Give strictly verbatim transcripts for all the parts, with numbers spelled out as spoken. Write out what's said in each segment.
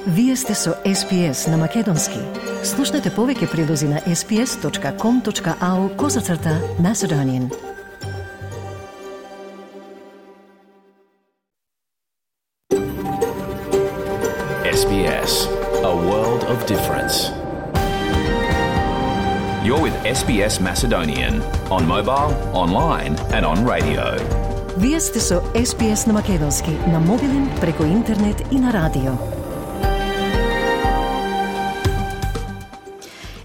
Вие сте со Ес Би Ес на Македонски. Слушнете повеќе прилози на ес би ес точка ком точка ау козацрта Macedonian. Ес Би Ес, a world of difference. You're with Ес Би Ес Macedonian on mobile, online and on radio. Вие сте со Ес Би Ес на Македонски, на мобилен, преку интернет и на радио.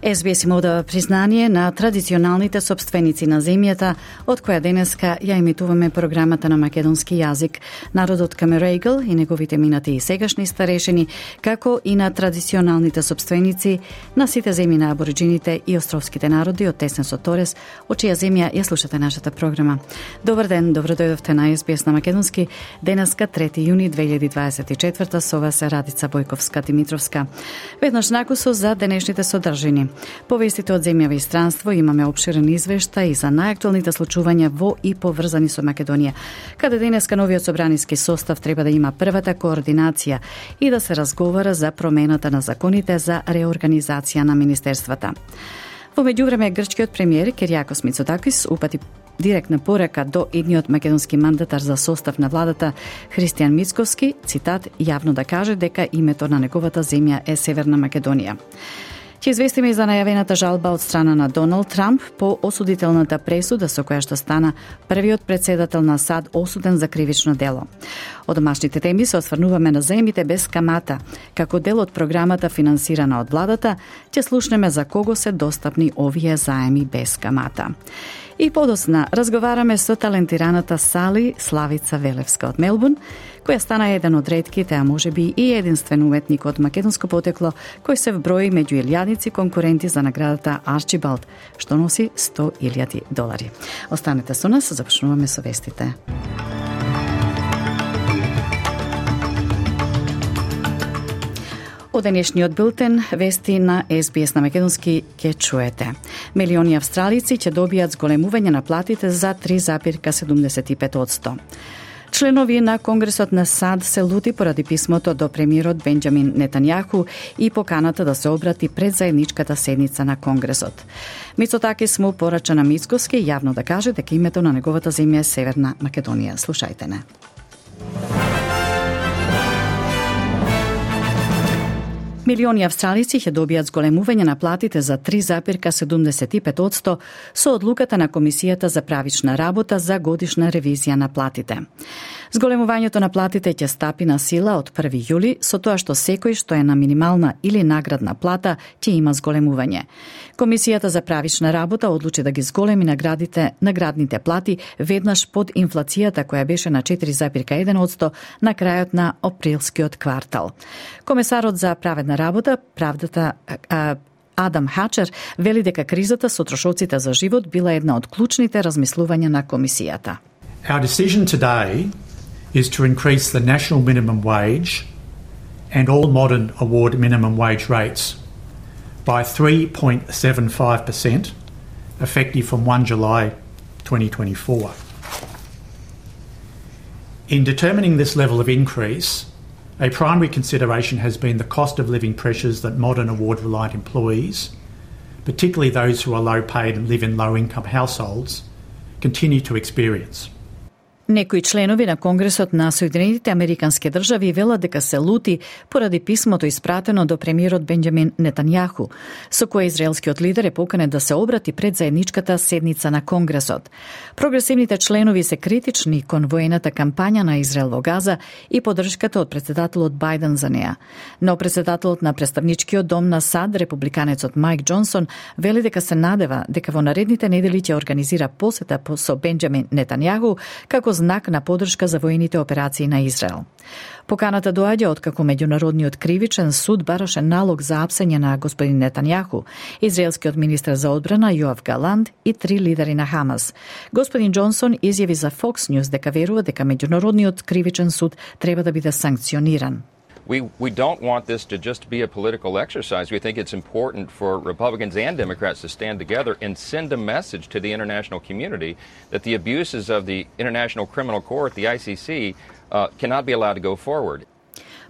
Ес Би Ес им одава признание на традиционалните собственици на земјата, од која денеска ја емитуваме програмата на македонски јазик. Народот Камерегл и неговите минати и сегашни старешини, како и на традиционалните собственици на сите земји на абориджините и островските народи од Теснесот Торес, од чија земја ја слушате нашата програма. Добар ден, добро дојдовте на Ес Би Ес на Македонски. Денеска трети јуни две илјади дваесет и четврта, со вас е Радица Бојковска-Димитровска. Веднаш накусо за денешните содржини. По вестите од земјава и странство имаме обширен извештај за најактуелните случувања во и поврзани со Македонија, каде денеска новиот собраниски состав треба да има првата координација и да се разговара за промената на законите за реорганизација на министерствата. Во меѓувреме, грчкиот премиер Кириакос Мицотакис упати директна порака до едниот македонски мандатар за состав на владата Христијан Мицковски, цитат, јавно да каже дека името на неговата земја е Северна Македонија. Ќе известиме и за најавената жалба од страна на Доналд Трамп по осудителната пресуда со која што стана првиот председател на САД осуден за кривично дело. Од домашните теми се осврнуваме на заемите без камата. Како дел од програмата финансирана од владата, ќе слушнеме за кого се достапни овие заеми без камата. И подосна разговараме со талентираната Сали Славица Велевска од Мелбурн, која стана еден од ретките, а можеби и единствен уметник од македонско потекло, кој се вброи меѓу илјадници конкуренти за наградата Арчибалд, што носи сто илјади долари. Останете со нас, започнуваме со вестите. Од денешниот билтен вести на Ес Би Ес на Македонски ќе чуете. Милиони австралици ќе добијат зголемување на платите за три запирка седумдесет и пет одсто. Членови на Конгресот на САД се лути поради писмото до премиерот Бенџамин Нетањаху и поканата да се обрати пред заедничката седница на Конгресот. Мицотакис му порача на Мицковски јавно да каже дека името на неговата земја е Северна Македонија. Слушајте не. Милиони австралици ќе добијат зголемување на платите за три запирка седумдесет и пет одсто со одлуката на Комисијата за правична работа за годишна ревизија на платите. Зголемувањето на платите ќе стапи на сила од први јули, со тоа што секој што е на минимална или наградна плата ќе има зголемување. Комисијата за правична работа одлучи да ги зголеми наградите, наградните плати веднаш под инфлацијата која беше на четири запирка еден одсто на крајот на априлскиот квартал. Комесарот за праведна работа, правдата а, Адам Хачер вели дека кризата со трошоците за живот била една од клучните размислувања на комисијата. Our decision today is to increase the national minimum wage and all modern award minimum wage rates by three point seven five percent effective from the first of July twenty twenty-four. In determining this level of increase, a primary consideration has been the cost of living pressures that modern award-reliant employees, particularly those who are low paid and live in low-income households, continue to experience. Некои членови на Конгресот на Соединетите Американски држави велат дека се лути поради писмото испратено до премиерот Бенџамин Нетањаху, со кое израелскиот лидер е поканет да се обрати пред заедничката седница на Конгресот. Прогресивните членови се критични кон воената кампања на Израел во Газа и поддршката од председателот Бајден за неа. Но председателот на представничкиот дом на САД, републиканецот Мајк Џонсон, вели дека се надева дека во наредните недели ќе организира посета со Бенџамин Нетањаху како знак на поддршка за воените операции на Израел. Поканата доаѓа откако меѓународниот кривичен суд бараше налог за апсење на господин Нетањаху, израелскиот министар за одбрана Јоав Галант и три лидери на Хамас. Господин Џонсон изјави за Fox News дека верува дека меѓународниот кривичен суд треба да биде санкциониран. We, we don't want this to just be a political exercise. We think it's important for Republicans and Democrats to stand together and send a message to the international community that the abuses of the International Criminal Court, the I C C, uh, cannot be allowed to go forward.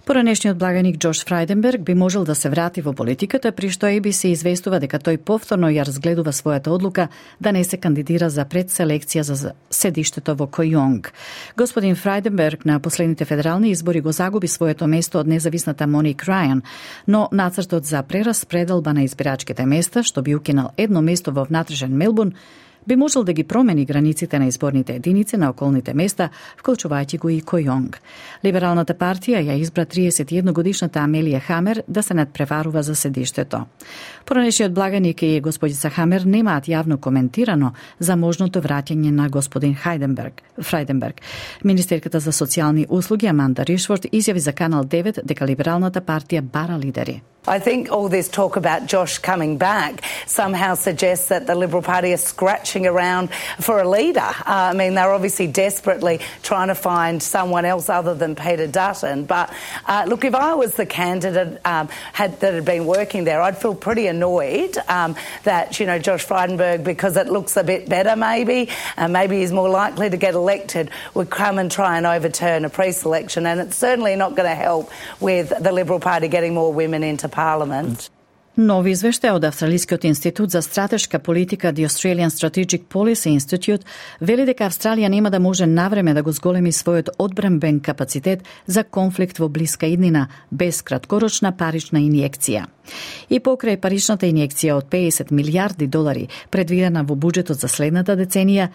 Поранешниот благаник Џош Фрајденберг би можел да се врати во политиката, при што Ей Би Си известува дека тој повторно ја разгледува својата одлука да не се кандидира за предселекција за седиштето во Којонг. Господин Фрајденберг на последните федерални избори го загуби своето место од независната Моник Рајан, но нацртот за прераспределба на избирачките места, што би укинал едно место во внатрешен Мелбурн, би можел да ги промени границите на изборните единици на околните места, вклучувајќи го и Којонг. Либералната партија ја избра триесет и една годишната Амелија Хамер да се надпреварува за седиштето. Поранешниот благаник и господица Хамер немаат јавно коментирано за можното враќање на господин Хайденберг, Фрајденберг. Министерката за социјални услуги Аманда Ришфорд изјави за Канал девет дека либералната партија бара лидери. I think all this talk about Josh coming back somehow suggests that the Liberal Party is scratching around for a leader. Uh, I mean, they're obviously desperately trying to find someone else other than Peter Dutton. But uh, look, if I was the candidate um, had, that had been working there, I'd feel pretty annoyed um, that, you know, Josh Frydenberg, because it looks a bit better maybe, and maybe he's more likely to get elected, would come and try and overturn a pre-selection. And it's certainly not going to help with the Liberal Party getting more women into Parliament. Нови извештај од Австралискиот институт за стратешка политика The Australian Strategic Policy Institute вели дека Австралија нема да може навреме да го зголеми својот одбранбен капацитет за конфликт во блиска иднина без краткорочна парична инјекција. И покрај паричната инјекција од педесет милијарди долари предвидена во буџетот за следната деценија,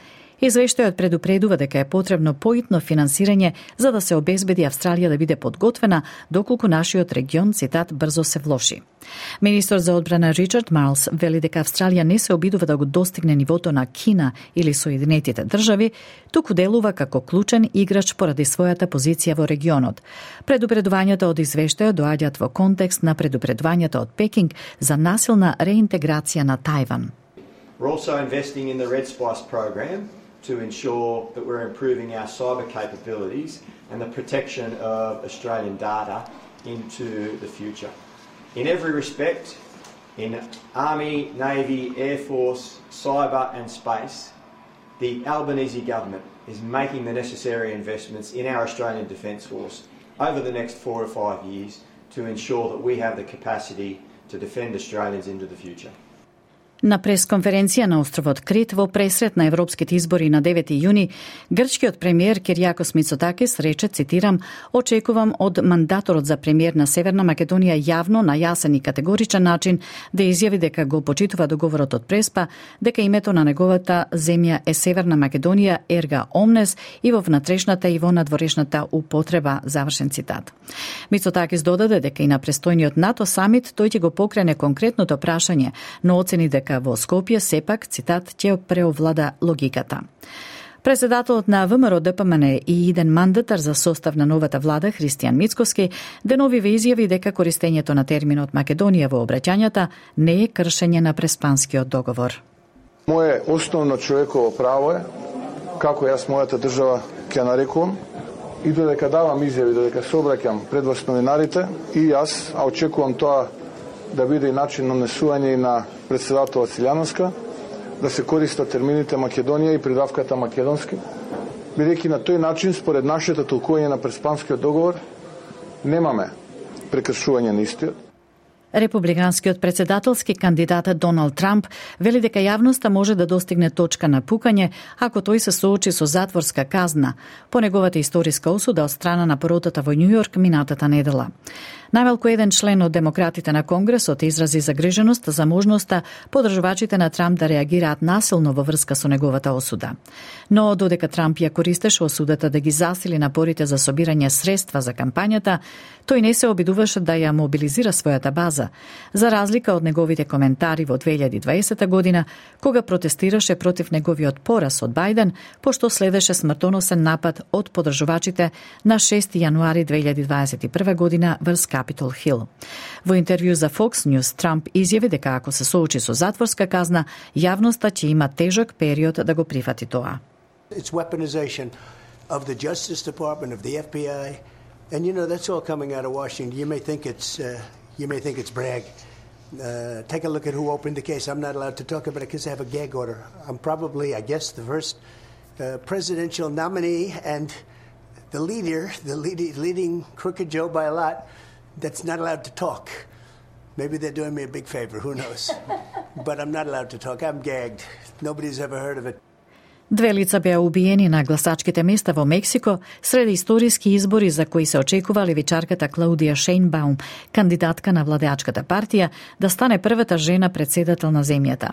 извештајот предупредува дека е потребно поитно финансирање за да се обезбеди Австралија да биде подготвена доколку нашиот регион, цитат, брзо се влоши. Министер за одбрана Ричард Марлс вели дека Австралија не се обидува да го достигне нивото на Кина или Соединетите држави, туку делува како клучен играч поради својата позиција во регионот. Предупредувањата од извештајот доаѓаат во контекст на предупредувањата од Пекинг за насилна реинтеграција на Тајван. We're also investing in the Red Spice program to ensure that we're improving our cyber capabilities and the protection of Australian data into the future. In every respect, in Army, Navy, Air Force, cyber and space, the Albanese government is making the necessary investments in our Australian Defence Force over the next four or five years to ensure that we have the capacity to defend Australians into the future. На пресконференција на островот Крит во пресрет на европските избори на девети јуни, грчкиот премиер Киријакос Мицотакис рече, цитирам, очекувам од мандаторот за премиер на Северна Македонија јавно, на јасен и категоричен начин да изјави дека го почитува договорот од Преспа, дека името на неговата земја е Северна Македонија ерга омнес и во внатрешната и во надворешната употреба, завршен цитат. Мицотакис додаде дека и на престојниот НАТО самит тој ќе го покрене конкретното прашање, но оцени дека во Скопје сепак, цитат, ќе преовлада логиката. Председателот на ВМРО Д П М Н и иден мандатар за состав на новата влада Христијан Мицкоски денови ве изјави дека користењето на терминот Македонија во обраќањата не е кршење на Преспанскиот договор. Моje основно човеково право е, како јас мојата држава ќе нарекувам, и додека давам изјави, додека се обраќам пред вас новинарите, и јас, а очекувам тоа да биде и начин на несување и на председателот Силјановска, да се користат термините Македонија и придавката македонски, бидејќи на тој начин, според нашето толкување на Преспанскиот договор, немаме прекршување на истиот. Републиканскиот председателски кандидат Доналд Трамп вели дека јавноста може да достигне точка на пукање ако тој се соочи со затворска казна по неговата историска осуда од страна на поротата во Њујорк минатата недела. Најмалку еден член од демократите на Конгресот изрази загриженост за можноста поддржувачите на Трамп да реагираат насилно во врска со неговата осуда. Но додека Трамп ја користеше осудата да ги засили напорите за собирање средства за кампањата, тој не се обидуваше да ја мобилизира својата база, за разлика од неговите коментари во две илјади и дваесета година, кога протестираше против неговиот пораз од Бајден, пошто следеше смртоносен напад од поддржувачите на шести јануари две илјади дваесет и прва година врз Капитол Хил. Во интервју за Fox News, Трамп изјави дека ако се соочи со затворска казна, јавноста ќе има тежок период да го прифати тоа. It's weaponization of the Justice Department, of the F B I, and you know that's all coming out of Washington. You may think it's uh, you may think it's brag. Uh, take a look at who opened the case. I'm not allowed to talk about it because I have a gag order. I'm probably, I guess, the first uh, presidential nominee, and the leader, the lead, leading crooked Joe by a lot, that's not allowed to talk. Maybe they're doing me a big favor, who knows? But I'm not allowed to talk. I'm gagged. Nobody's ever heard of it. Две лица беа убиени на гласачките места во Мексико сред историски избори за кои се очекува левичарката Клаудија Шејнбаум, кандидатка на владеачката партија, да стане првата жена председател на земјата.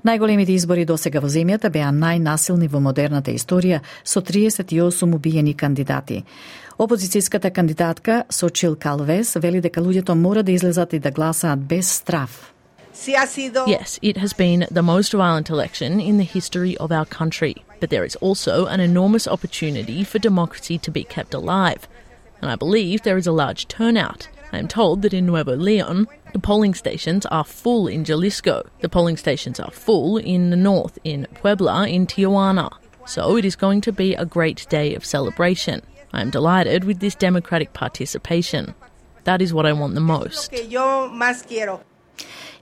Најголемите избори досега во земјата беа најнасилни во модерната историја, со триесет и осум убиени кандидати. Опозицијската кандидатка Сочил Калвес вели дека луѓето мора да излезат и да гласаат без страф. Yes, it has been the most violent election in the history of our country, but there is also an enormous opportunity for democracy to be kept alive. And I believe there is a large turnout. I am told that in Nuevo Leon, the polling stations are full in Jalisco. The polling stations are full in the north, in Puebla, in Tijuana. So it is going to be a great day of celebration. I am delighted with this democratic participation. That is what I want the most.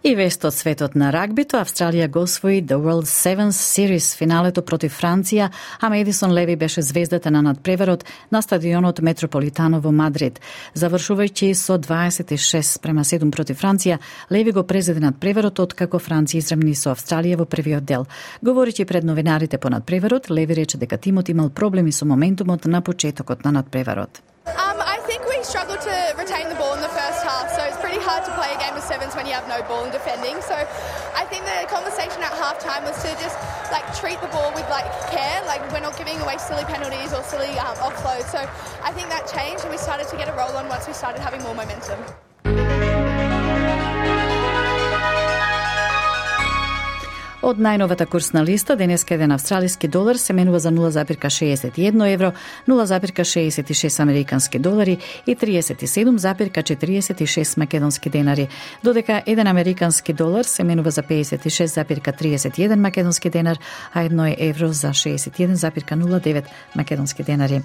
И вест од светот на рагбито, Австралија го освои The World Sevens Series финалето против Франција, а Медисон Леви беше звездата на надпреварот на стадионот Метрополитано во Мадрид. Завршувајќи со дваесет и шест спрема седум против Франција, Леви го презеде надпреварот откако Франција изремни со Австралија во првиот дел. Говорејќи пред новинарите по надпреварот, Леви рече дека тимот имал проблеми со моментумот на почетокот на надпреварот. Um, I think we struggled to retain the ball in the first half, so it's pretty hard to play a game of sevens when you have no ball in defending. So I think the conversation at halftime was to just like treat the ball with like care, like we're not giving away silly penalties or silly um, offloads. So I think that changed and we started to get a roll on once we started having more momentum. Од најновата курсна листа, денеска еден австралиски долар се менува за нула зарез шеесет и едно евро, нула зарез шеесет и шест американски долари и триесет и седум зарез четириесет и шест македонски денари, додека еден американски долар се менува за пеесет и шест зарез триесет и еден македонски денар, а едно евро за шеесет и еден зарез нула девет македонски денари.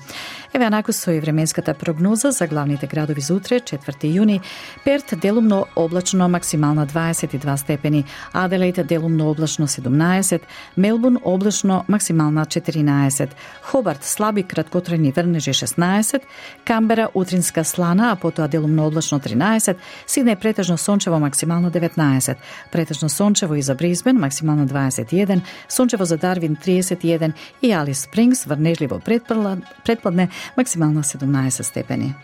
Еве анаку со и временската прогноза за главните градови за утре, четврти јуни. Перт делумно облачно, максимална дваесет и два степени, Аделаид делумно облачно седумнаесет, Мелбурн облачно, максимална четиринаесет, Хобарт слаби краткотрајни врнежи шеснаесет, Камбера утринска слана, а потоа делумно облачно тринаесет, Сиднеј претежно сончево, максимално деветнаесет, претежно сончево и за Брисбен, максимално дваесет и еден, сончево за Дарвин триесет и еден и Алис Спрингс врнежливо предпладне, максимално седумнаесет степени.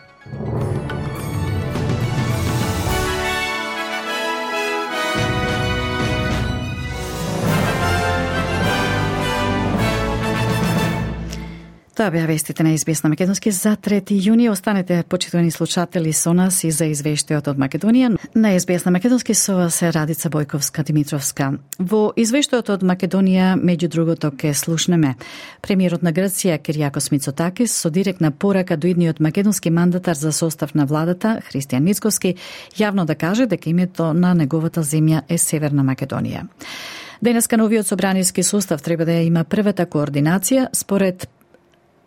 Тоа беа вестите на Ес Би Ес на Македонски за трети јуни. Останете, почитувани слушатели, со нас и за извештајот од Македонија. На Ес Би Ес на Македонски со вас е Радица Бојковска-Димитровска. Во извештајот од Македонија, меѓу другото, ке слушнеме премиерот на Грција Киријакос Мицотакис со директна порака до идниот македонски мандатар за состав на владата Христијан Мицкоски јавно да каже дека името на неговата земја е Северна Македонија. Денеска новиот собраниски состав треба да има првата координација според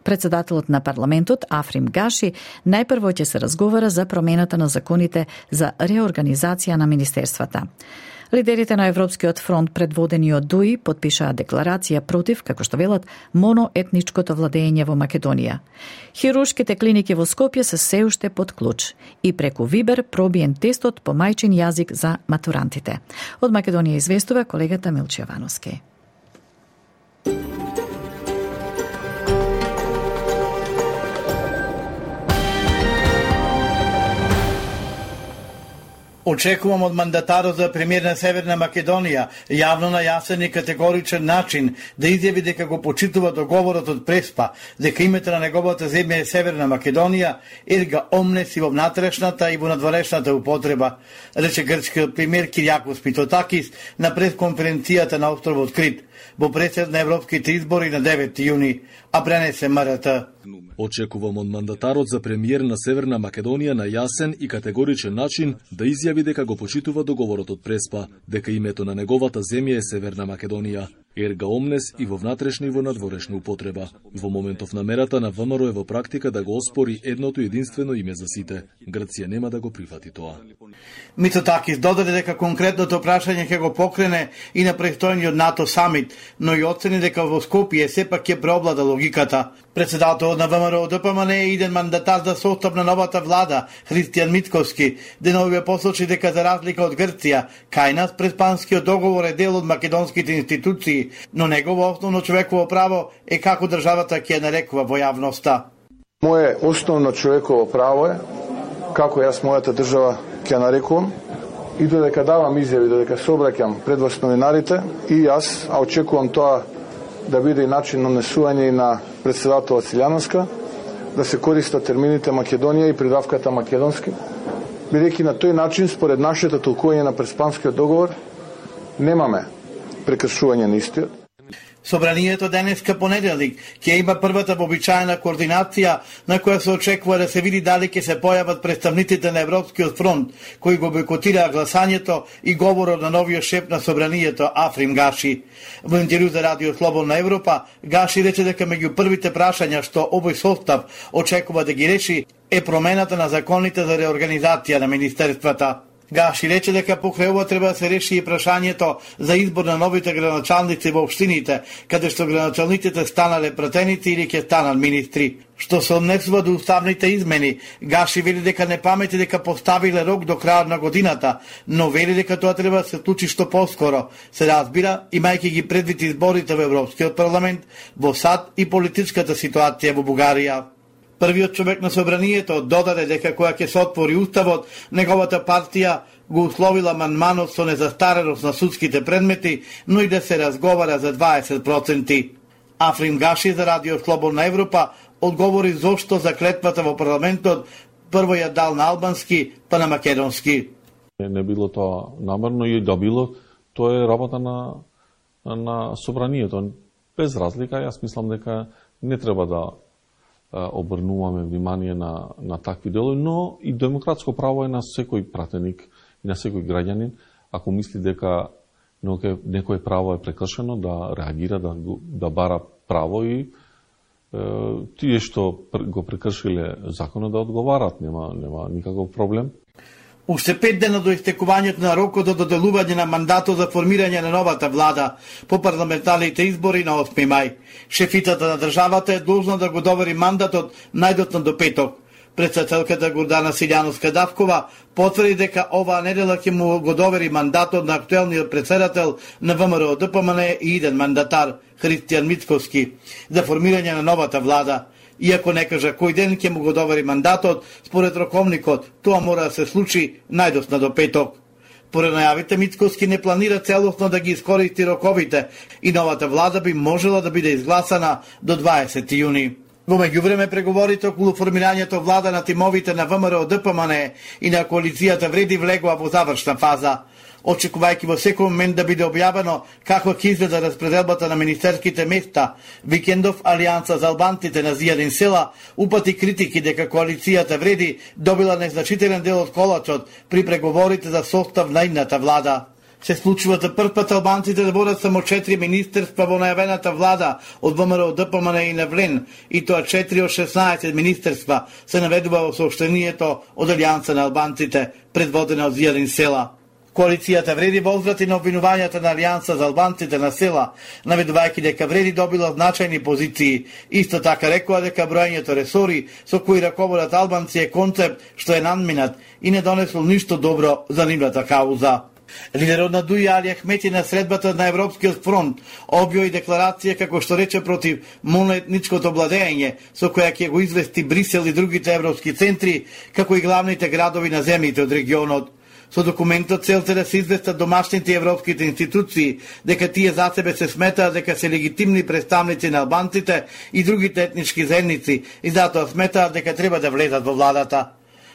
председателот на парламентот Африм Гаши. Најпрво ќе се разговара за промената на законите за реорганизација на министерствата. Лидерите на Европскиот фронт, предводени од Дуи, подпишаа декларација против, како што велат, моноетничкото владење во Македонија. Хируршките клиники во Скопје се се уште под клуч и преку Вибер пробиен тестот по мајчин јазик за матурантите. Од Македонија известува колегата Милче Јовановски. Очекувам од мандатарот за премиер на Северна Македонија јавно на јасен и категоричен начин да изјави дека го почитува договорот од Преспа, дека името на неговата земја е Северна Македонија, ерга омнес и во внатрешната и во надворешната употреба, рече грчкиот премиер Киријакос Мицотакис на пресконференцијата на островот Крит во пресед на европските избори на девети јуни, а пренесе М Р Т. Очекувам од мандатарот за премиер на Северна Македонија на јасен и категоричен начин да изјави дека го почитува договорот од Преспа, дека името на неговата земја е Северна Македонија, ерга омнес и во внатрешна и во надворешна употреба. Во моментов намерата на ВМРО е во практика да го оспори едното единствено име за сите. Грција нема да го прифати тоа. Мицотакис додаде дека конкретното прашање ќе го покрене и на престојниот НАТО самит, но и оцени дека во Скопје сепак ќе преовлада логиката. Председателот на ВМРО ДПМН е иден мандатар за состав на новата влада, Христијан Мицковски, деновиве посочи дека за разлика од Грција, кај нас преспанскиот договор е дел од македонските институции, но негово основно човеково право е како државата ќе ја нарекува во јавноста. Моje основно човеково право е како јас мојата држава ќе ја нарекувам и додека давам изјави, додека се обраќам пред вас новинарите и јас, а очекувам тоа да биде и начин на несување и на председателот Силјановска, да се користат термините Македонија и придавката македонски, бидејќи на тој начин, според нашето толкување на преспанскиот договор, немаме прекршување на истиот. Собранието денеска понеделник ќе има првата вообичаена координација на која се очекува да се види дали ќе се појават представниците на Европскиот фронт кои го бойкотираа гласањето и говорот на новиот шеф на собранието Африм Гаши. Во интервју за Радио Слободна Европа, Гаши рече дека меѓу првите прашања што овој состав очекува да ги реши е промената на законите за реорганизација на министерствата. Гаши рече дека покрај ова треба да се реши и прашањето за избор на новите граначалници во општините, каде што граначалниците станале пратеници или ќе станат министри. Што се однесува до уставните измени, Гаши вели дека не памети дека поставиле рок до крајот на годината, но вели дека тоа треба да се случи што поскоро. Се разбира, имајќи ги предвид изборите во Европскиот парламент, во САД и политичката ситуација во Бугарија. Првиот човек на собранието додаде дека кога ќе се отвори уставот, неговата партија го условила манманот со незастареност на судските предмети, но и да се разговара за дваесет проценти. Африм Гаши за Радио Слободна Европа одговори зошто за клетвата во парламентот прво ја дал на албански, па на македонски. Не било тоа намерно и да било, тоа е работа на, на собранието. Без разлика, јас мислам дека не треба да обрнуваме внимание на, на такви делови, но и демократско право е на секој пратеник и на секој граѓанин, ако мисли дека некој право е прекршено, да реагира, да, да бара право и е, тие што го прекршиле законот да одговарат, нема, нема никаков проблем. Уште пет дена до истекувањето на рокот за доделување на мандатот за формирање на новата влада по парламентарните избори на осми мај. Шефитата на државата е должна да го довери мандатот најдотно до петок. Председателката Гордана Силјановска-Давкова потврди дека оваа недела ќе му го довери мандатот на актуелниот председател на ВМРО ДПМН и иден мандатар Христијан Мицковски за формирање на новата влада. Иако не кажа кој ден ќе му го довери мандатот, според роковникот, тоа мора да се случи најдосна до петок. Поред најавите, Мицковски не планира целосно да ги искористи роковите и новата влада би можела да биде изгласана до дваесети јуни. Во меѓувреме преговорите околу формирањето влада на тимовите на ВМРО ДПМН и на коалицијата Вреди влегува во завршна фаза. Очекувајќи во секој момент да биде објавено како ќе изгледа распределбата на министерските места, викендов Алијанса за албанците на Зијадин села упати критики дека коалицијата Вреди добила незначителен дел од колачот при преговорите за состав на идната влада. Се случува за прв пат албанците да водат само четири министерства во најавената влада од ВМРО ДПМН и Невлен, и тоа четири од шеснаесет министерства се наведува во сообщението од Алијанса на албанците, предводена од Зијадин села. Коалицијата Вреди возврати на обвинувањата на Алијанса за албанците на села, наведувајќи дека Вреди добила значајни позиции. Исто така рекоа дека броењето ресори со кои раководат албанци е концепт што е надминат и не донесол ништо добро за нивната кауза. Лидерот на Дуи Али Ахмети на средбата на Европскиот фронт објави декларација како што рече против моноетничкото владење, со која ќе го извести Брисел и другите европски центри, како и главните градови на земјите од регионот. Со документот целта да се известат домашните европските институции дека тие за себе се сметаат дека се легитимни представници на албанците и другите етнички заедници и затоа сметаат дека треба да влезат во владата.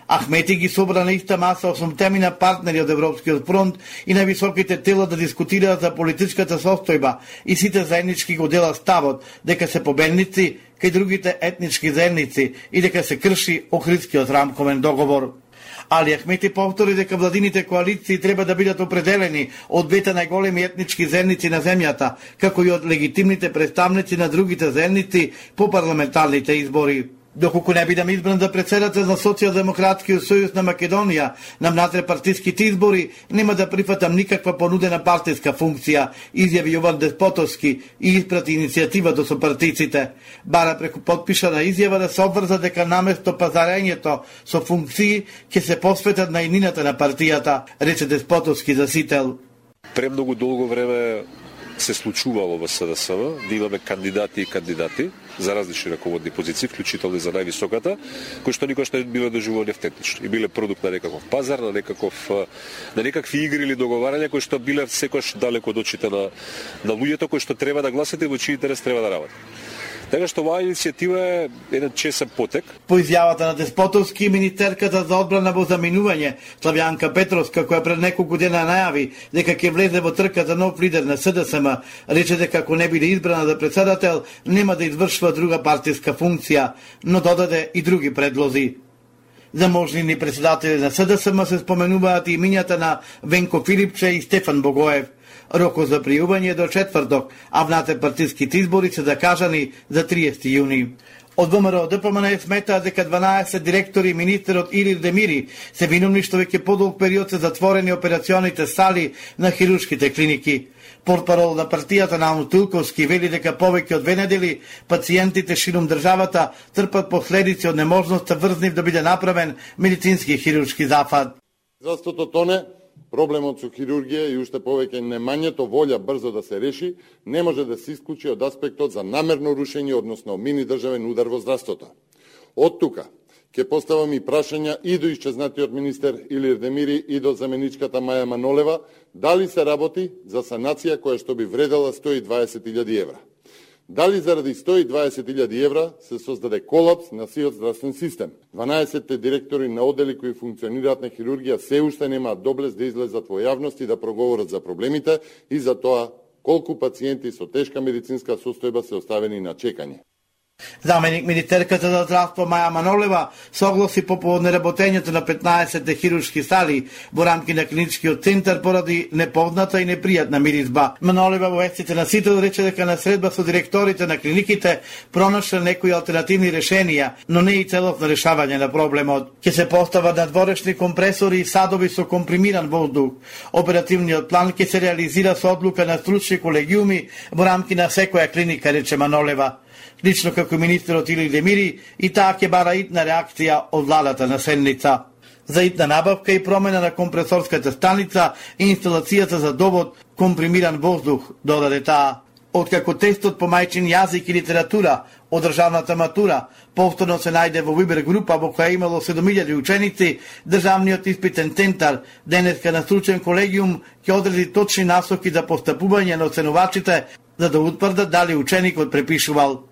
Ахмети ги собра на иста маса осумтемина партнери од Европскиот фронт и на високите тела да дискутираат за политичката состојба и сите заеднички го делат ставот дека се победници кај другите етнички заедници и дека се крши Охридскиот рамковен договор. Али Ахмети повтори дека владините коалиции треба да бидат определени од двете најголеми етнички заедници на земјата, како и од легитимните представници на другите заедници по парламентарните избори. Доколку не бидам избран за председател на Социјалдемократскиот сојуз на Македонија на внатрешпартиските избори, нема да прифатам никаква понудена партиска функција, изјави Јован Деспотовски и испрати иницијатива до сопартиците. Бара преку потпишана изјава да се обврза дека наместо пазарењето со функции ќе се посветат на иднината на партијата, рече Деспотовски за Сител. Премногу долго време се случувало во СДСМ да имаме кандидати и кандидати за различни раководни позиции, вклучително и за највисоката, кои што никош не биле доживувани автентично и биле продукт на некаков пазар, на некаков на некакви игри или договарања кои што биле секош далеко од очите на на луѓето кои што треба да гласат и во чиј интерес треба да работат. Така што оваа иницијатива е еден чесен потек. По изјавата на Деспотовски, министерката за одбрана во заминување, Славјанка Петровска, која пред неколку дена најави дека ќе влезе во трка за нов лидер на СДСМ, рече дека ако не биде избрана за председател, нема да извршува друга партиска функција, но додаде и други предлози. За можни председатели на СДСМ се споменуваат и имињата на Венко Филипче и Стефан Богоев. Рокот за пријување до четврток, а внатрешпартиските избори се закажани за триесети јуни. Од ВМРО ДПМН сметаат дека дванаесет директори и министерот Илир Демири се виновни што веќе подолг период се затворени операционите сали на хируршките клиники. Портпарол на партијата Наум Тилковски вели дека повеќе од две недели пациентите ширум државата трпат последици од неможноста врзнив да биде направен медицински хируршки зафат. Здравството тоне, проблемот со хирургија и уште повеќе немањето волја брзо да се реши не може да се исклучи од аспектот за намерно рушење, односно мини државен удар во здравството. Од тука ќе поставам и прашања и до исчезнатиот министер Илир Демири и до заменичката Маја Манолева, дали се работи за санација која што би вредела сто и дваесет илјади евра. Дали заради сто и дваесет илјади евра се создаде колапс на сиот здравствен систем. дванаесет директори на одели кои функционираат на хирургија се уште немаат доблес да излезат во јавност и да проговорат за проблемите и за тоа колку пациенти со тешка медицинска состојба се оставени на чекање. Заменик министерката за здравство Маја Манолева согласи по повод неработењето на петнаесет хируршки сали во рамки на клиничкиот центар поради непозната и непријатна миризба. Манолева во вестите на Сител рече дека на средба со директорите на клиниките пронашле некои алтернативни решенија, но не и целосно решавање на проблемот. Ќе се постават надворешни компресори и садови со компримиран воздух. Оперативниот план ќе се реализира со одлука на стручни колегиуми во рамки на секоја клиника, рече Манолева. Лично како министерот Илир Демири, и таа ќе бара итна реакција од владата на седница. За итна набавка и промена на компресорската станица и инсталацијата за довод компримиран воздух, додаде таа. Откако тестот по мајчин јазик и литература од државната матура повторно се најде во Вибер група во која имало седум илјади ученици, државниот испитен центар денеска на стручен колегиум ќе одреди точни насоки за постапување на оценувачите за да утврдат дали ученикот препишувал.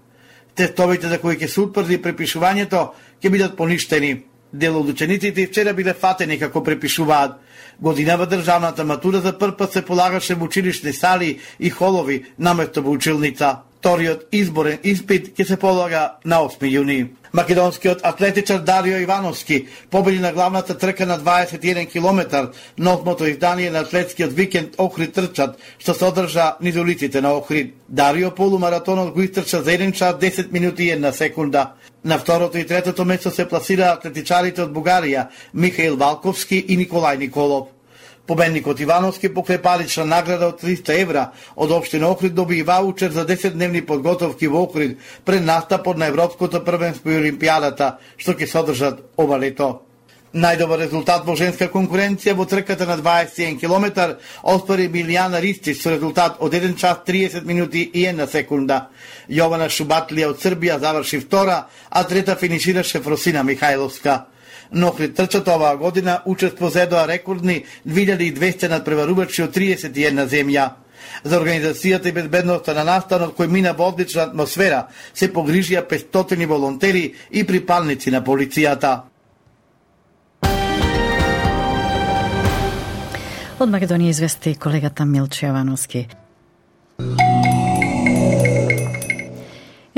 Тестовите за кои ќе се утврди препишувањето ќе бидат поништени. Дел од учениците вчера биле фатени како препишуваат. Годинава државната матура за прв пат се полагаше во училишни сали и холови наместо во училница. Вториот изборен испит ќе се полага на осми јуни. Македонскиот атлетичар Дарио Ивановски победи на главната трка на дваесет и еден километар на осмото издание на атлетскиот викенд Охрид трчат, што се одржа низ улиците на Охрид. Дарио полумаратонот го истрча за еден час десет минути и една секунда. На второто и третото место се пласира атлетичарите од Бугарија Михаил Валковски и Николај Николов. Победникот Ивановски покрај парична награда од триста евра од општина Охрид доби и ваучер за десетдневни подготовки во Охрид пред настапот на Европското првенство и Олимпијадата, што ќе се одржат ова лето. Најдобар резултат во женска конкуренција во трката на дваесет и еден километар оствари Милијана Ристич со резултат од еден час тридесет минути и една секунда. Јована Шубатлија од Србија заврши втора, а трета финишираше Фросина Михајловска. На Охрид трчат оваа година учество зедоа рекордни две илјади и двесте надпреварувачи од триесет и една земја. За организацијата и безбедноста на настанот кој мина во одлична атмосфера се погрижија петстотини волонтери и припалници на полицијата. Од Македонија извести колегата Милче Јовановски.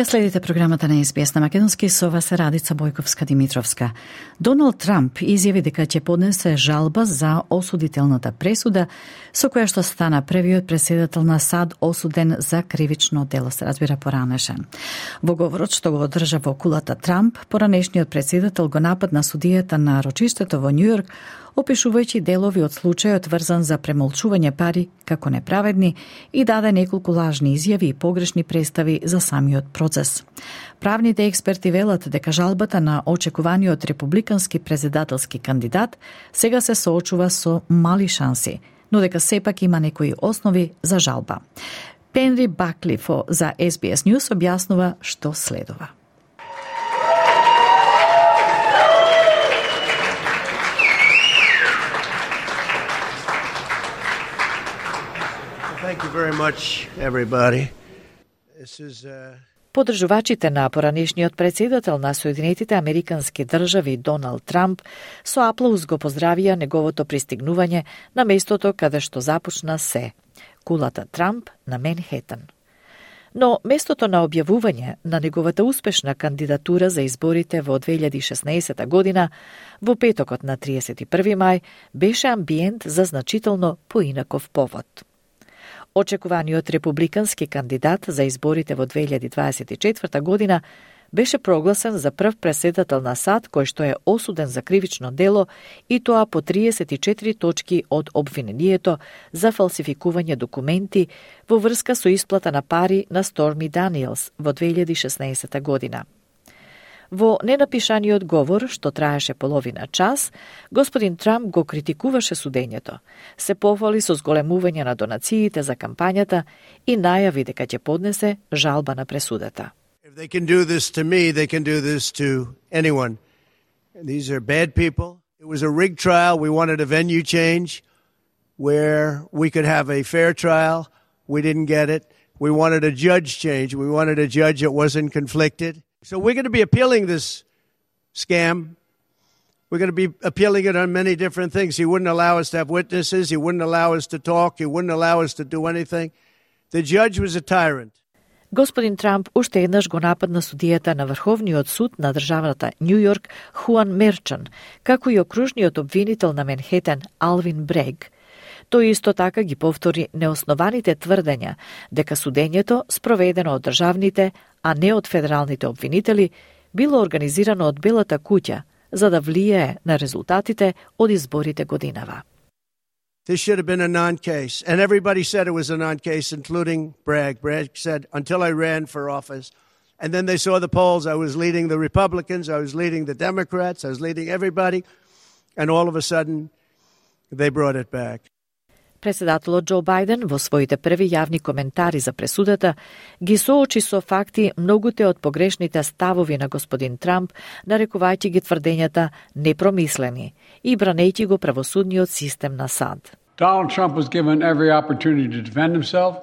Ја следите програмата на Ес Би Ес на македонски, со вас е Радица Бојковска-Димитровска. Доналд Трамп изјави дека ќе поднесе жалба за осудителната пресуда со која што стана првиот претседател на САД осуден за кривично дело, се разбира поранешен. Во говорот што го одржа во кулата Трамп, поранешниот претседател го нападна судијата на рочиштето во Њујорк, опишувајќи делови од случајот врзан за премолчување пари како неправедни и даде неколку лажни изјави и погрешни представи за самиот процес. Правните експерти велат дека жалбата на очекуваниот републикански претседателски кандидат сега се соочува со мали шанси, но дека сепак има некои основи за жалба. Пенри Баклифо за Ес Би Ес News објаснува што следува. Thank you very much, everybody. This is, uh... Подржувачите на поранешниот претседател на Соединетите Американски држави Доналд Трамп со аплауз го поздравија неговото пристигнување на местото каде што започна се, кулата Трамп на Менхетен. Но местото на објавување на неговата успешна кандидатура за изборите во две илјади и шеснаесета година, во петокот на триесет и први мај, беше амбиент за значително поинаков повод. Очекуваниот републикански кандидат за изборите во две илјади дваесет и четврта година беше прогласен за прв претседател на САД кој што е осуден за кривично дело и тоа по триесет и четири точки од обвинението за фалсификување документи во врска со исплата на пари на Сторми Даниелс во две илјади и шеснаесета година. Во ненапишаниот говор, што траеше половина час, господин Трамп го критикуваше судењето, се пофали со зголемување на донациите за кампањата и најави дека ќе поднесе жалба на пресудата. If they can do this to me, they can do this to anyone. These are bad people. It was a rigged trial. We wanted a venue change where we could have a fair trial. We didn't get it. We wanted a judge change. We wanted a judge that wasn't conflicted. So we're going to be appealing this scam. We're going to be appealing it on many different things. He wouldn't allow us to have witnesses. He wouldn't allow us to talk. He wouldn't allow us to do anything. The judge was a tyrant. Господин Трамп уште еднаш го нападна судијата на Врховниот суд на државата Њујорк Хуан Мерчан, како и окружниот обвинител на Менхетен Алвин Брег. Тој исто така ги повтори неоснованите тврдења дека судењето, спроведено од државните, а не од федералните обвинители, било организирано од Белата куќа за да влијае на резултатите од изборите годинава. This should have been a non-case. And everybody said it was a non-case, including Bragg. Bragg said, until I ran for office. And then they saw the polls. I was leading the Republicans. I was leading the Democrats. I was leading everybody. And all of a sudden, they brought it back. Председателот Џо Бајден во своите први јавни коментари за пресудата ги соочи со факти многуте од погрешните ставови на господин Трамп, нарекувајќи ги тврдењата непромислени и бранејќи го правосудниот систем на САД. Donald Trump was given every opportunity to defend himself.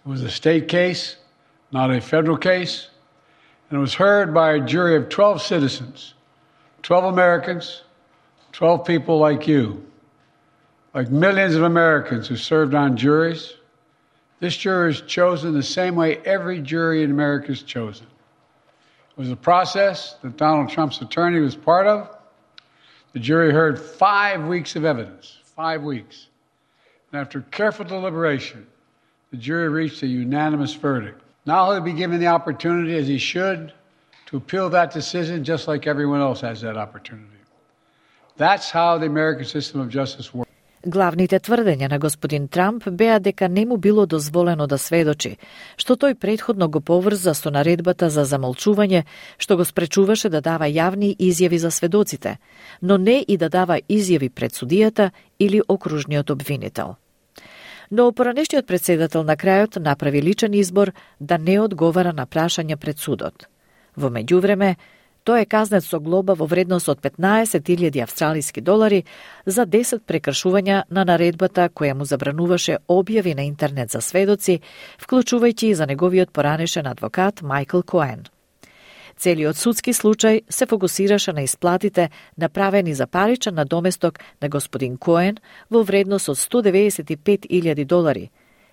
It was a state case, not a federal case, and it was heard by a jury of twelve citizens, twelve Americans, twelve people like you. Like millions of Americans who served on juries, this jury is chosen the same way every jury in America is chosen. It was a process that Donald Trump's attorney was part of. The jury heard five weeks of evidence, five weeks. And after careful deliberation, the jury reached a unanimous verdict. Now he'll be given the opportunity, as he should, to appeal that decision just like everyone else has that opportunity. That's how the American system of justice works. Главните тврдења на господин Трамп беа дека не му било дозволено да сведочи, што тој претходно го поврза со наредбата за замолчување, што го спречуваше да дава јавни изјави за сведоците, но не и да дава изјави пред судијата или окружниот обвинител. Но поранешниот претседател на крајот направи личен избор да не одговара на прашања пред судот. Во меѓувреме, тој е казнет со глоба во вредност од петнаесет илјади австралиски долари за десет прекршувања на наредбата која му забрануваше објави на интернет за сведоци, вклучувајќи и за неговиот поранешен адвокат Майкл Коен. Целиот судски случај се фокусираше на исплатите направени за паричен надоместок на господин Коен во вредност од сто деведесет и пет илјади долари,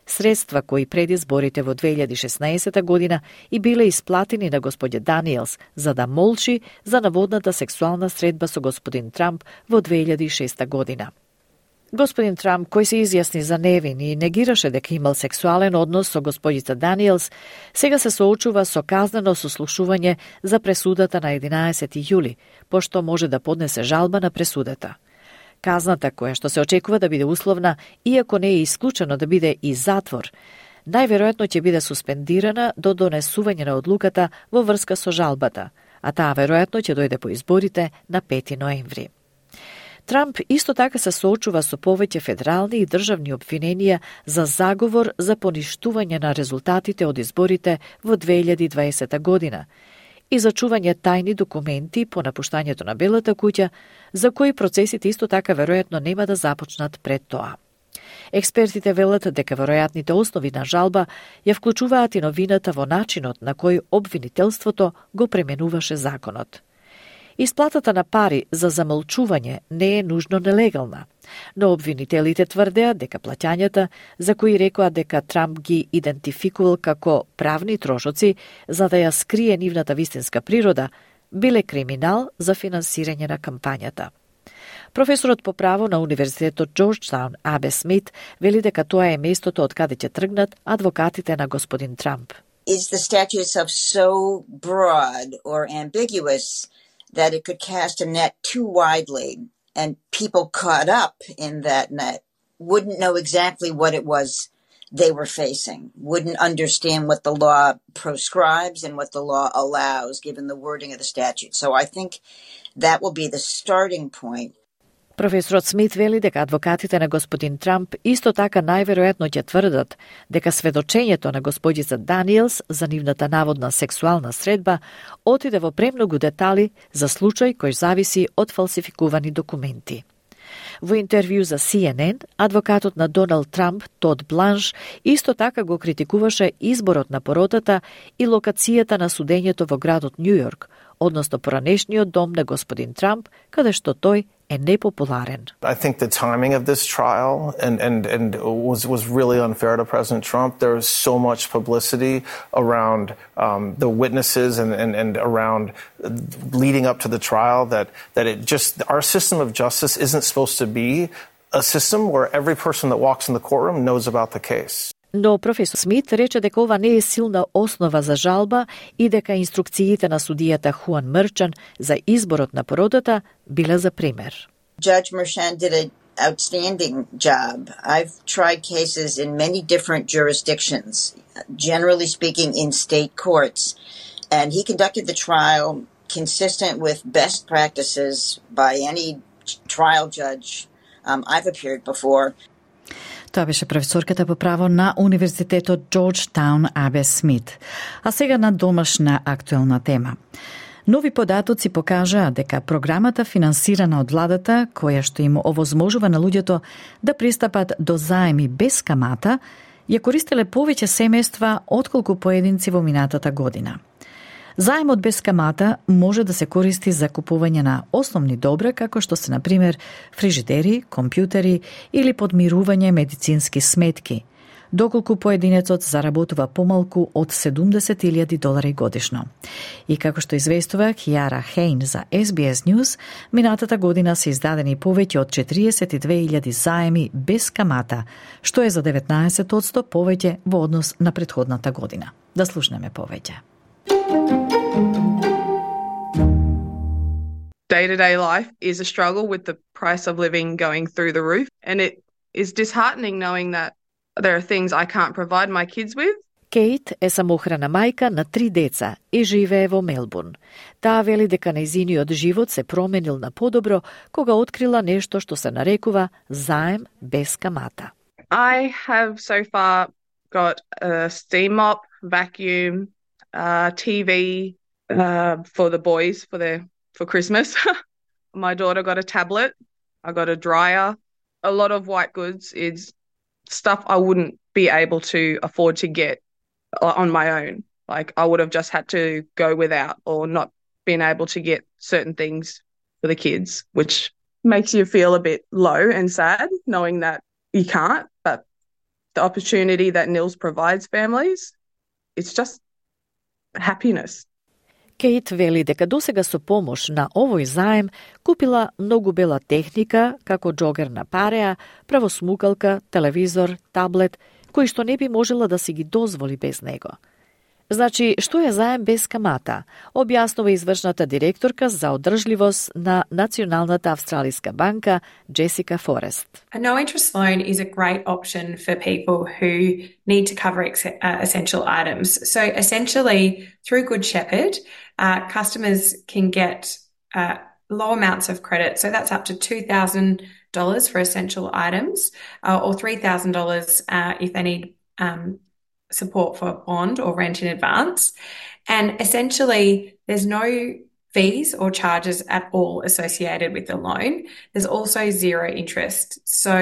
средства кои пред изборите во две илјади и шеснаесета година и биле исплатени на господја Даниелс за да молчи за наводната сексуална средба со господин Трамп во две илјади и шеста година. Господин Трамп, кој се изјасни за невин и негираше дека имал сексуален однос со господица Даниелс, сега се соочува со казнено сослушување за пресудата на единаесети јули, пошто може да поднесе жалба на пресудата. Казната, која што се очекува да биде условна, иако не е исклучено да биде и затвор, најверојатно ќе биде суспендирана до донесување на одлуката во врска со жалбата, а таа веројатно ќе дојде по изборите на пети ноември. Трамп исто така се соочува со повеќе федерални и државни обвиненија за заговор за поништување на резултатите од изборите во две илјади и дваесета година и за чување тајни документи по напуштањето на Белата куќа, за кои процесите исто така веројатно нема да започнат пред тоа. Експертите велат дека веројатните основи на жалба ја вклучуваат и новината во начинот на кој обвинителството го пременуваше законот. Исплатата на пари за замолчување не е нужно нелегална, но обвинителите тврдеа дека плаќањата, за кои рекоа дека Трамп ги идентификувал како правни трошоци за да ја скрие нивната вистинска природа, биле криминал за финансирање на кампањата. Професорот по право на Универзитетот Джорджтаун Абе Смит вели дека тоа е местото од каде ќе тргнат адвокатите на господин Трамп. Is the statute itself so broad or ambiguous that it could cast a net too widely, and people caught up in that net wouldn't know exactly what it was they were facing, wouldn't understand what the law proscribes and what the law allows, given the wording of the statute. So I think that will be the starting point. Професорот Смит вели дека адвокатите на господин Трамп исто така најверојатно ќе тврдат дека сведочењето на господица Даниелс за нивната наводна сексуална средба отиде во премногу детали за случај кој зависи од фалсификувани документи. Во интервју за Си Ен Ен, адвокатот на Доналд Трамп, Тод Бланш, исто така го критикуваше изборот на поротата и локацијата на судењето во градот Њу Јорк, односно поранешниот дом на господин Трамп, каде што тој е непопуларен. I think the timing of this trial and and and was was really unfair to President Trump. There was so much publicity around um, the witnesses and, and and around leading up to the trial that that it just our system of justice isn't supposed to be a system where every person that walks in the courtroom knows about the case. Но професор Смит рече дека ова не е силна основа за жалба и дека инструкциите на судијата Хуан Мерчан за изборот на породата биле за пример. Judge Merchan did an outstanding job. I've tried cases in many different jurisdictions, generally speaking in state courts, and he conducted the trial consistent with best practices by any trial judge um, I've appeared before. Тоа беше професорката по право на Универзитетот Джорджтаун Абе Смит. А сега на домашна актуелна тема. Нови податоци покажаа дека програмата финансирана од владата, која што им овозможува на луѓето да пристапат до заеми без камата, ја користеле повеќе семејства отколку поединци во минатата година. Заемот без камата може да се користи за купување на основни добра, како што се, например, фрижидери, компјутери или подмирување медицински сметки, доколку поединецот заработува помалку од седумдесет илјади долари годишно. И како што известува Киара Хейн за Ес Би Ес News, минатата година се издадени повеќе од четириесет и две илјади заеми без камата, што е за деветнаесет одсто повеќе во однос на претходната година. Да слушнеме повеќе. Day-to-day life is a struggle with the price of living going through the roof, and it is disheartening knowing that there are things I can't provide my kids with. Кейт е самохрана мајка на три деца и живее во Мелбурн. Таа вели дека нејзиниот живот се променил на подобро кога открила нешто што се нарекува заем без камата. I have so far got a steam mop, vacuum, uh, T V uh, for the boys for their for Christmas. My daughter got a tablet. I got a dryer. A lot of white goods is stuff I wouldn't be able to afford to get on my own. Like I would have just had to go without or not been able to get certain things for the kids, which makes you feel a bit low and sad knowing that you can't. But the opportunity that N I L S provides families, it's just happiness. Кейт вели дека досега со помош на овој заем купила многу бела техника, како џогер на пареа, правосмукалка, телевизор, таблет, кои што не би можела да си ги дозволи без него. Значи, што е заем без камата? Објаснува извршната директорка за одржливост на Националната австралиска банка Джесика Форест. A no-interest loan is a great option for people who need to cover ex- uh, essential items. So essentially, through Good Shepherd, uh, customers can get uh, low amounts of credit. So that's up to two thousand dollars for essential items uh, or three thousand dollars uh, if they need um, support for bond or rent in advance. And essentially, there's no fees or charges at all associated with the loan. There's also zero interest. So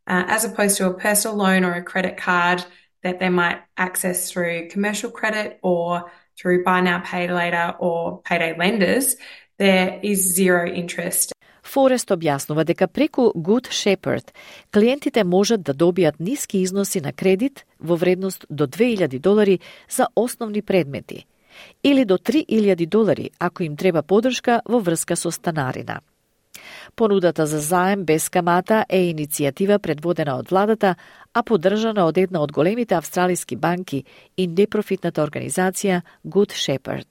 uh, as opposed to a personal loan or a credit card that they might access through commercial credit or through buy now, pay later or payday lenders, there is zero interest. Форест објаснува дека преку Good Shepherd клиентите можат да добијат ниски износи на кредит во вредност до две илјади долари за основни предмети или до три илјади долари ако им треба подршка во врска со станарина. Понудата за заем без камата е иницијатива предводена од владата, а поддржана од една од големите австралиски банки и непрофитната организација Good Shepherd.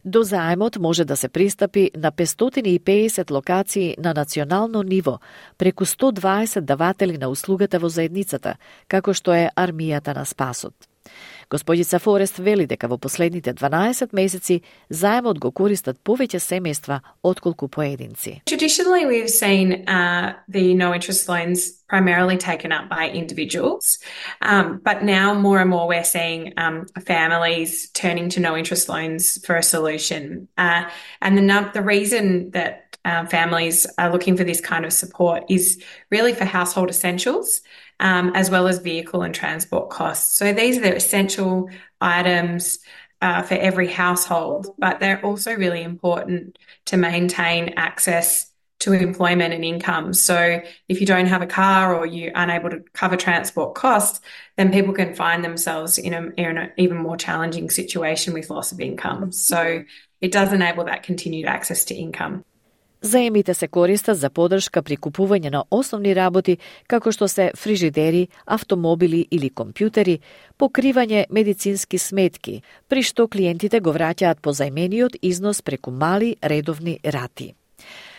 До заемот може да се пристапи на петстотини и педесет локации на национално ниво, преку сто дваесет даватели на услугата во заедницата, како што е армијата на спасот. Господица Форест вели дека во последните дванаесет месеци заемот го користат повеќе семејства отколку поединци. Traditionally, we've seen uh, the no-interest loans primarily taken up by individuals, um, but now more and more we're seeing um, families turning to no-interest loans for a solution. Uh, and the, the reason that Uh, families are looking for this kind of support is really for household essentials, um, as well as vehicle and transport costs. So these are the essential items uh, for every household, but they're also really important to maintain access to employment and income. So if you don't have a car or you're unable to cover transport costs, then people can find themselves in, a, in an even more challenging situation with loss of income. So it does enable that continued access to income. Заемите се користат за поддршка при купување на основни работи, како што се фрижидери, автомобили или компјутери, покривање медицински сметки, при што клиентите го враќаат позајмениот износ преку мали редовни рати.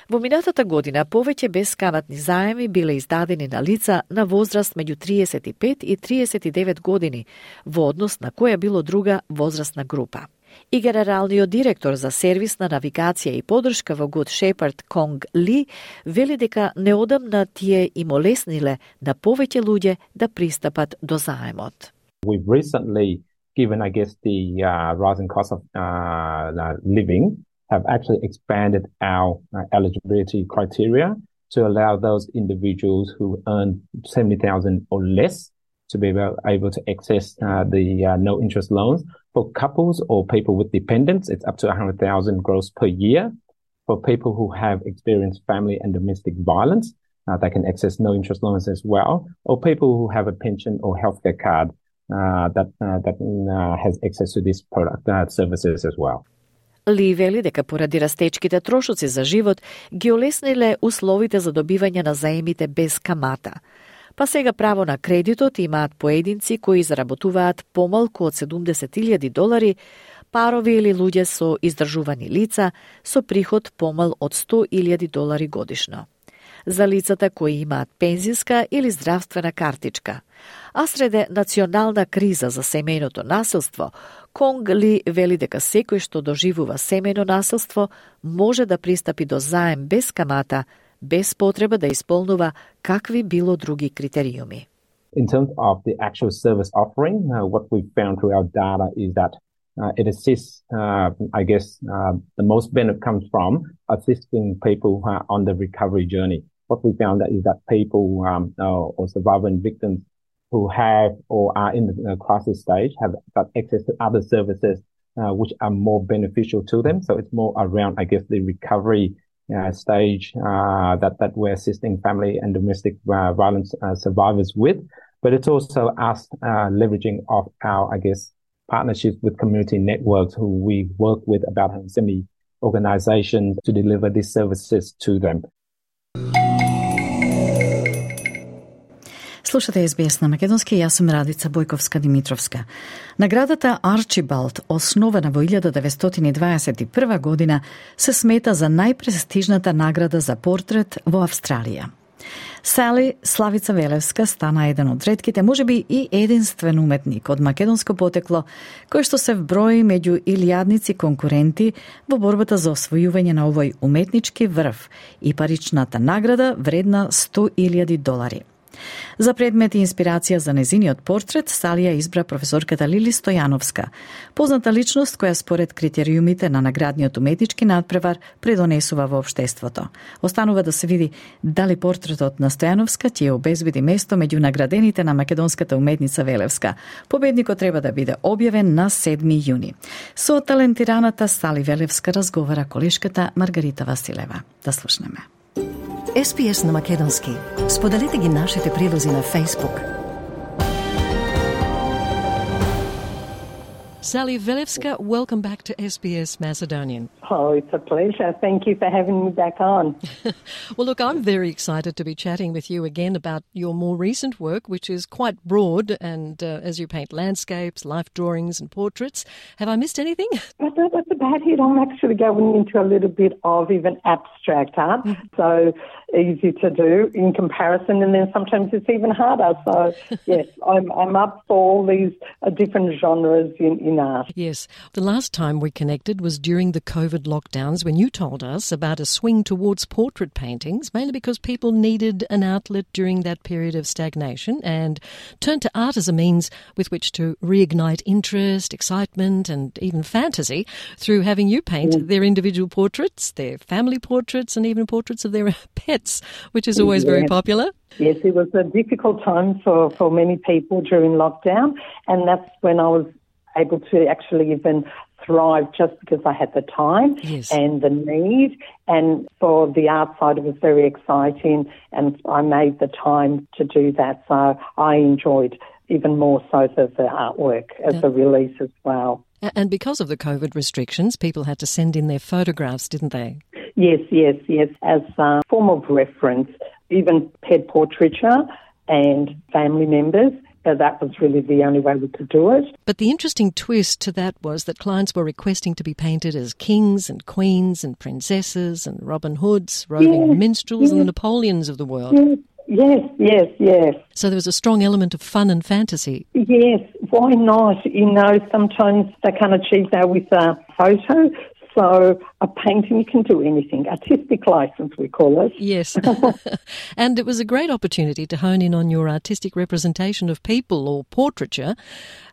Во минатата година повеќе бескаматни заеми биле издадени на лица на возраст меѓу триесет и пет и триесет и девет години, во однос на која било друга возрастна група. И генералниот директор за сервисна навигација и поддршка во Good Shepherd Конг Ли вели дека неодамна тие им олесниле на повеќе луѓе да пристапат до заемот. We've recently, given I guess the uh, rising cost of uh, living, have actually expanded our uh, eligibility criteria to allow those individuals who earn seventy thousand or less to be able to access uh, the uh, no interest loans. For couples or people with dependents, it's up to one hundred thousand gross per year. For people who have experienced family and domestic violence, uh, they can access no interest loans as well. Or people who have a pension or healthcare card uh, that uh, that uh, has access to these product uh, services as well. Ли вели дека поради растечките трошоци за живот ги олесниле условите за добивање на заемите без камата. Па сега право на кредитот имаат поединци кои заработуваат помалку од седумдесет илјади долари, парови или луѓе со издржувани лица со приход помал од сто илјади долари годишно. За лицата кои имаат пензиска или здравствена картичка. А среде национална криза за семејното насилство, Конг Ли вели дека секој што доживува семејно насилство може да пристапи до заем без камата, без потреба да исполнува какви било други критериуми. In terms of the actual service offering, uh, what we've found through our data is that uh, it assists, uh, I guess, uh, the most benefit comes from assisting people uh, on the recovery journey. What we found that is that people um, uh, or survivors and victims who have or are in the uh, crisis stage have got access to other services uh, which are more beneficial to them. So it's more around, I guess, the recovery Uh, stage uh, that that we're assisting family and domestic uh, violence uh, survivors with. but it's also us uh, leveraging off our, I guess, partnerships with community networks who we work with about one hundred seventy organizations to deliver these services to them. Слушате Ес Би Ес на македонски, јас сум Радица Бојковска-Димитровска. Наградата Арчибалд, основана во илјада деветстотини дваесет и прва година, се смета за најпрестижната награда за портрет во Австралија. Сали Славица Велевска стана еден од ретките, можеби и единствен уметник од македонско потекло, кој што се вброи меѓу илјадници конкуренти во борбата за освојување на овој уметнички врв и паричната награда вредна сто илјади долари. За предмет и инспирација за незиниот портрет, Салија избра професорката Лили Стојановска, позната личност која според критериумите на наградниот уметнички надпревар предонесува во општеството. Останува да се види дали портретот на Стојановска ќе обезбеди место меѓу наградените на македонската уметница Велевска. Победникот треба да биде објавен на седми јуни. Со талентираната Сали Велевска разговара колешката Маргарита Василева. Да слушнеме. Ес Би Ес на македонски. Споделете ги нашите прилози на Facebook. Sally Velevska, welcome back to S B S Macedonian. Oh, it's a pleasure. Thank you for having me back on. Well, look, I'm very excited to be chatting with you again about your more recent work, which is quite broad, and uh, as you paint landscapes, life drawings and portraits. Have I missed anything? But that's about it. I'm actually going into a little bit of even abstract art, mm-hmm. so easy to do in comparison, and then sometimes it's even harder. So, yes, I'm, I'm up for all these uh, different genres in, in art. Yes. The last time we connected was during the COVID lockdowns when you told us about a swing towards portrait paintings, mainly because people needed an outlet during that period of stagnation and turned to art as a means with which to reignite interest, excitement and even fantasy through having you paint mm. their individual portraits, their family portraits and even portraits of their pets, which is always yes. very popular. Yes, it was a difficult time for, for many people during lockdown, and that's when I was able to actually even thrive just because I had the time yes. and the need. And for the art side, it was very exciting, and I made the time to do that. So I enjoyed even more so the, the artwork as yeah. a release as well. And because of the COVID restrictions, people had to send in their photographs, didn't they? Yes, yes, yes, as a form of reference, even pet portraiture and family members. So that was really the only way we could do it. But the interesting twist to that was that clients were requesting to be painted as kings and queens and princesses and Robin Hoods, roving yes, minstrels yes. and the Napoleons of the world. Yes, yes, yes, yes. So there was a strong element of fun and fantasy. Yes, why not? You know, sometimes they can't achieve that with a photo. So a painting, you can do anything. Artistic license, we call it. Yes. And it was a great opportunity to hone in on your artistic representation of people or portraiture,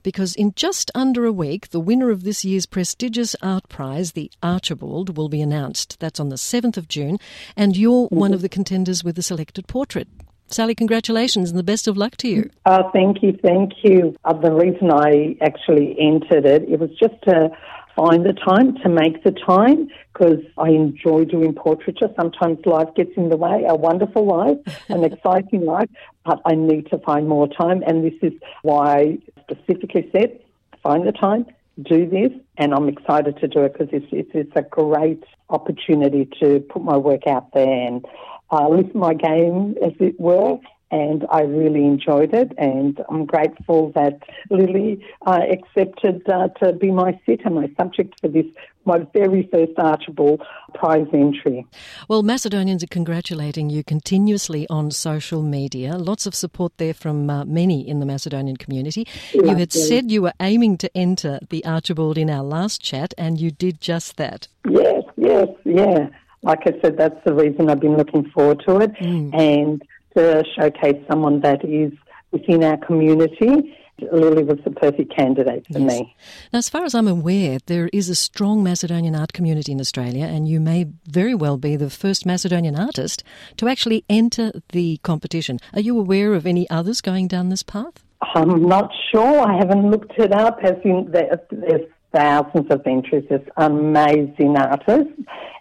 because in just under a week, the winner of this year's prestigious art prize, the Archibald, will be announced. That's on the seventh of June, and you're mm-hmm. one of the contenders with the selected portrait. Sally, congratulations and the best of luck to you. Oh, thank you, thank you. Uh, the reason I actually entered it, it was just to find the time, to make the time, because I enjoy doing portraiture. Sometimes life gets in the way, a wonderful life, an exciting life, but I need to find more time, and this is why I specifically said, find the time, do this, and I'm excited to do it because it's, it's, it's a great opportunity to put my work out there and uh, lift my game, as it were. And I really enjoyed it, and I'm grateful that Lily uh, accepted uh, to be my sitter, my subject for this, my very first Archibald prize entry. Well, Macedonians are congratulating you continuously on social media. Lots of support there from uh, many in the Macedonian community. Yeah, you had yeah. said you were aiming to enter the Archibald in our last chat, and you did just that. Yes, yes, yeah. Like I said, that's the reason I've been looking forward to it. Mm. And to showcase someone that is within our community, Lily was the perfect candidate for yes. me. Now, as far as I'm aware, there is a strong Macedonian art community in Australia, and you may very well be the first Macedonian artist to actually enter the competition. Are you aware of any others going down this path? I'm not sure. I haven't looked it up. As in, there's thousands of entries. There's amazing artists,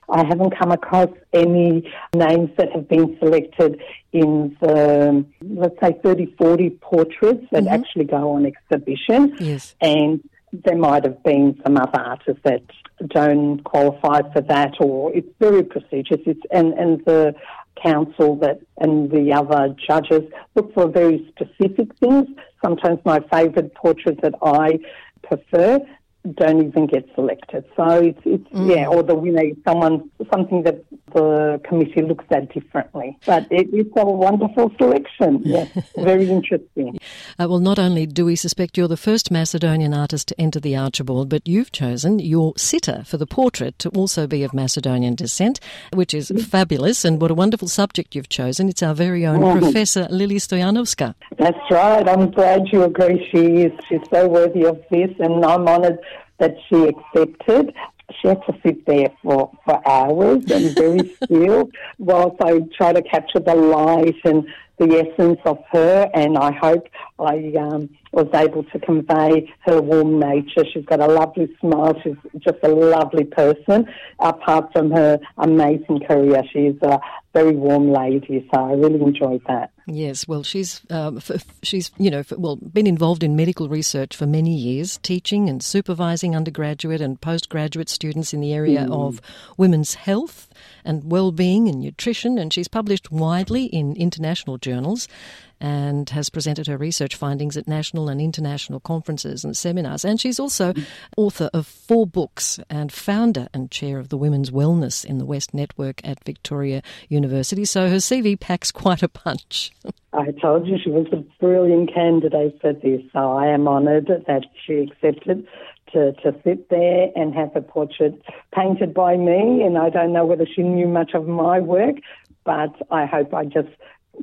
I haven't come across any names that have been selected in the, let's say, thirty, forty portraits that mm-hmm. actually go on exhibition. Yes. And there might have been some other artists that don't qualify for that, or it's very prestigious. It's and, and the council that and the other judges look for very specific things. Sometimes my favourite portraits that I prefer don't even get selected. So it's, it's mm. yeah, or the winner is someone, something that the committee looks at differently. But it, it's a wonderful selection. Yes, very interesting. Uh, well, not only do we suspect you're the first Macedonian artist to enter the Archibald, but you've chosen your sitter for the portrait to also be of Macedonian descent, which is mm. fabulous. And what a wonderful subject you've chosen. It's our very own mm. Professor Lily Stoyanovska. That's right. I'm glad you agree. She is. She's so worthy of this, and I'm honoured that she accepted. She had to sit there for, for hours and very still whilst I try to capture the light and the essence of her, and I hope I um, was able to convey her warm nature. She's got a lovely smile. She's just a lovely person. Apart from her amazing career, she's a very warm lady, so I really enjoyed that. Yes, well, she's uh, f- she's you know f- well been involved in medical research for many years, teaching and supervising undergraduate and postgraduate students in the area mm. of women's health and well-being and nutrition, and she's published widely in international journals and has presented her research findings at national and international conferences and seminars. And she's also author of four books and founder and chair of the Women's Wellness in the West Network at Victoria University. So her C V packs quite a punch. I told you she was a brilliant candidate for this, so I am honoured that she accepted to, to sit there and have a portrait painted by me. And I don't know whether she knew much of my work, but I hope I just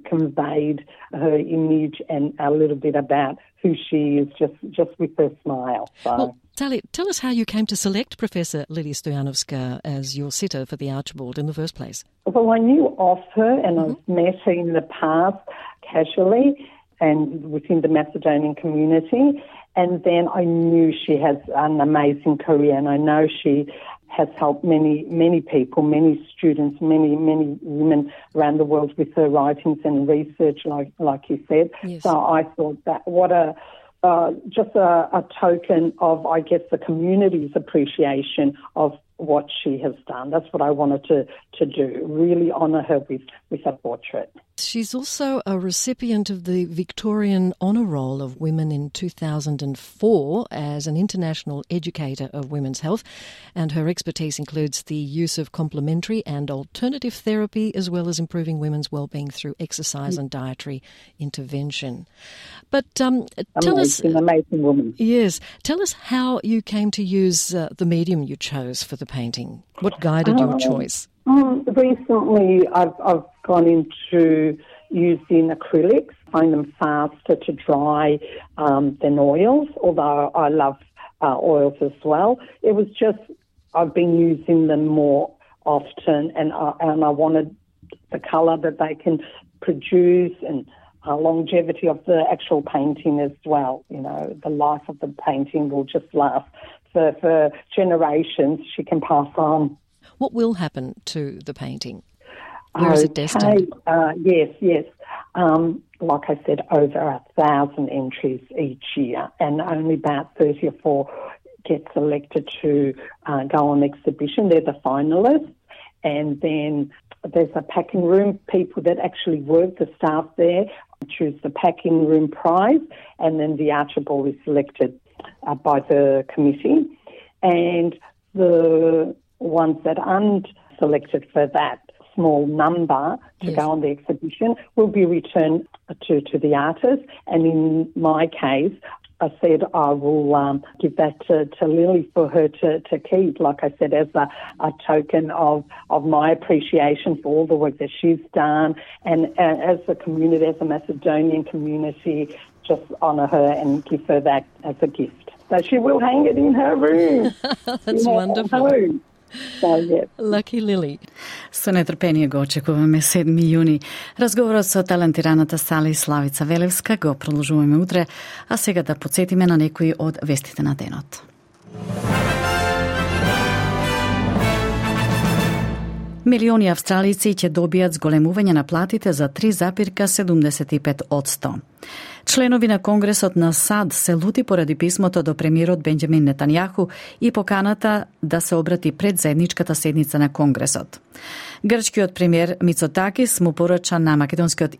conveyed her image and a little bit about who she is just, just with her smile. So. Well, Tali, tell us how you came to select Professor Lily Stoyanovska as your sitter for the Archibald in the first place. Well, I knew of her and mm-hmm. I've met her in the past casually and within the Macedonian community, and then I knew she has an amazing career, and I know she has helped many, many people, many students, many, many women around the world with her writings and research, like like you said. Yes. So I thought that what a uh, just a, a token of, I guess, the community's appreciation of what she has done. That's what I wanted to, to do, really honour her with, with a portrait. She's also a recipient of the Victorian Honour Roll of Women in two thousand four as an international educator of women's health, and her expertise includes the use of complementary and alternative therapy as well as improving women's well-being through exercise and dietary intervention. But um, tell amazing, us... Amazing woman. Yes. Tell us how you came to use uh, the medium you chose for the painting. What guided um, your choice? Um, recently, I've, I've gone into using acrylics. I find them faster to dry um, than oils, although I love uh, oils as well. It was just, I've been using them more often, and I, and I wanted the colour that they can produce and uh, longevity of the actual painting as well. You know, the life of the painting will just last for, for generations. She can pass on. What will happen to the painting? Where is it destined? Uh, yes, yes. Um, like I said, over a thousand entries each year, and only about thirty or four get selected to uh, go on exhibition. They're the finalists, and then there's a packing room. People that actually work, the staff there, choose the packing room prize, and then the Archibald is selected uh, by the committee, and the ones that aren't selected for that small number to yes. go on the exhibition will be returned to, to the artist. And in my case, I said I will um, give that to, to Lily for her to, to keep, like I said, as a, a token of, of my appreciation for all the work that she's done, and uh, as a community, as a Macedonian community, just honour her and give her that as a gift. So she will hang it in her room. That's wonderful. Home. So, yes. Lucky Lily. Со нетрпение го очекуваме седми јуни. Разговорот со талентираната Сали Славица Велевска го продолжуваме утре, а сега да подсетиме на некои од вестите на денот. Милиони австралици ќе добијат зголемување на платите за три запирка седумдесет и пет одсто. Членови на Конгресот на САД се лути поради писмото до премиерот Бенџамин Нетањаху и поканата да се обрати пред заедничката седница на Конгресот. Грчкиот премиер Мицотакис му порача на македонскиот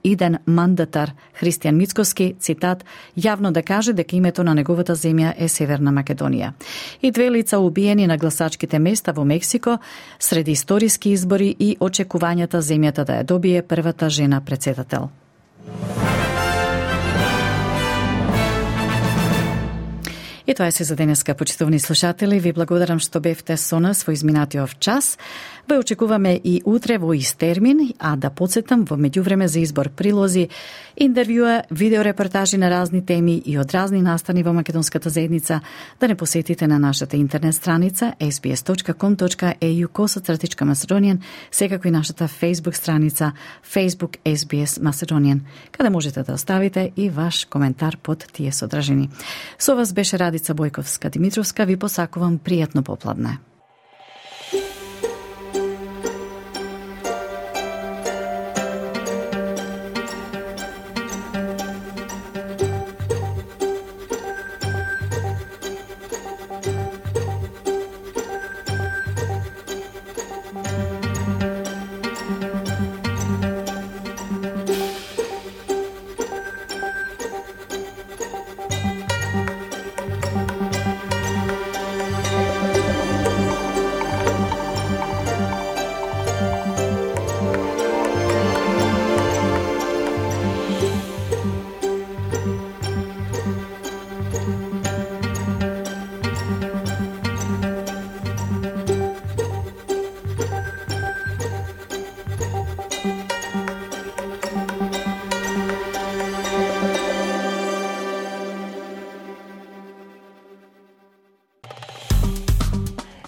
иден мандатар Христијан Мицкоски, цитат, јавно да каже дека името на неговата земја е Северна Македонија. И две лица убиени на гласачките места во Мексико среди историски избори и очекувањата земјата да ја добие првата жена председател. И тоа е се за денеска, почитувани слушатели. Ви благодарам што бевте со нас во изминатиот час. Ве очекуваме и утре во ист термин, а да подсетам во меѓувреме за избор прилози, интервјуа, видеорепортажи на разни теми и од разни настани во македонската заедница, да не посетите на нашата интернет страница ес би ес точка ком точка е ю косатратичка Macedonian, секако и нашата Facebook страница Facebook ес би ес Macedonian, каде можете да оставите и ваш коментар под тие содржини. Со вас беше Радица Бојковска-Димитровска, ви посакувам пријатно попладне.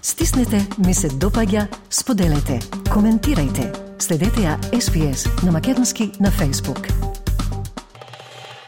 Стиснете, ми се допаѓа, споделете, коментирајте. Следете ја Ес Би Ес на македонски на Facebook.